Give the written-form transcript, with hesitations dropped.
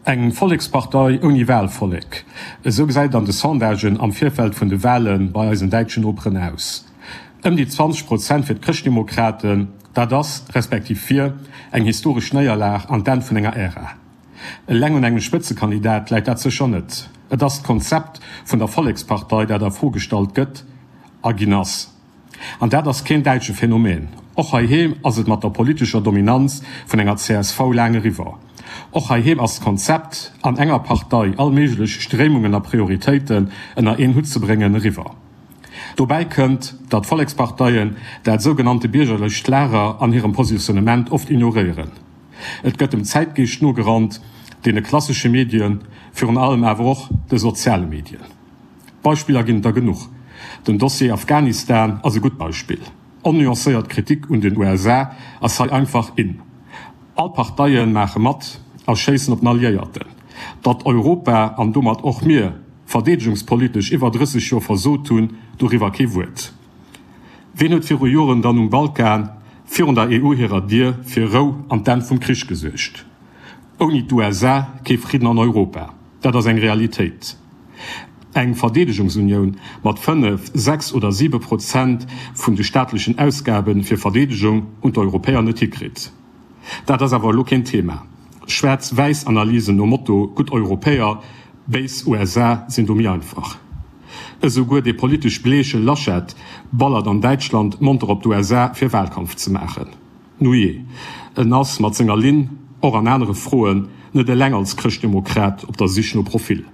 Eng Vollekspartei ouni Wahlvollek, esou gesäit et an de Sondagen am Virfeld vun de Wahle bei eisen däitschen Noperen aus. Ëm déi 20 Prozent fir d'Chrëschtdemokraten, dat ass, respektiv wier, eng historesch Néierlag an d'Enn vun enger Ära. Eleng un engem Spëtzekandidat läit dat sécher net. Et ass d'Konzept vun der Vollekspartei, dat a Fro gestallt gëtt a ginn ass. An dat ass keen däitsche Phänomen. Och heiheem ass et mat der politescher Dominanz vun enger csv laang eriwwer. Och heiheem ass d'Konzept, an enger Partei all méiglech Stréimungen a Prioritéiten ënner een Hutt ze bréngen, eriwwer. Dobäi kënnt, datt Volleksparteien dat sougenannte biergerlecht Lager an hirem Positionnement oft ignoréieren. Et gëtt dem Zäitgeescht nogerannt, deene klassesche Medien, virun allem awer och de soziale Medien. Beispiller ginn et der genuch. Den Dossier Afghanistan ass e gutt Beispill. Onnuancéiert Kritik un den USA ass hei einfach in. All Parteie maache mat a schéissen op den Alliéierten. Datt Europa, an domat och mir, verdeedegungspolitesch iwwer 30 Joer versot hunn, doriwwer kee Wuert. Ween huet viru Joren dann um Balkan virun der EU hirer Dier fir Rou an d'Enn vum Krich gesuergt? Ouni d'USA kee Fridden an Europa, dat ass eng Realitéit. Eng Verdeedegungsunioun mat 5, 6 oder 7 Prozent vun de staatlechen Ausgabe fir Verdeedegung hunn d'Europäer net hikritt. Dat ass awer elo keen Thema. Schwaarz-wäiss-Analysen nom Motto gutt Europäer, béis USA sinn do méi einfach. Esouguer dee politesch bleeche Laschet ballert an Däitschland monter op d'USA fir Wahlkampf ze maachen. Nujee, en ass mat senger Linn och an anere Froen net eleng als Chrëschtdemokrat op der Sich no Profil.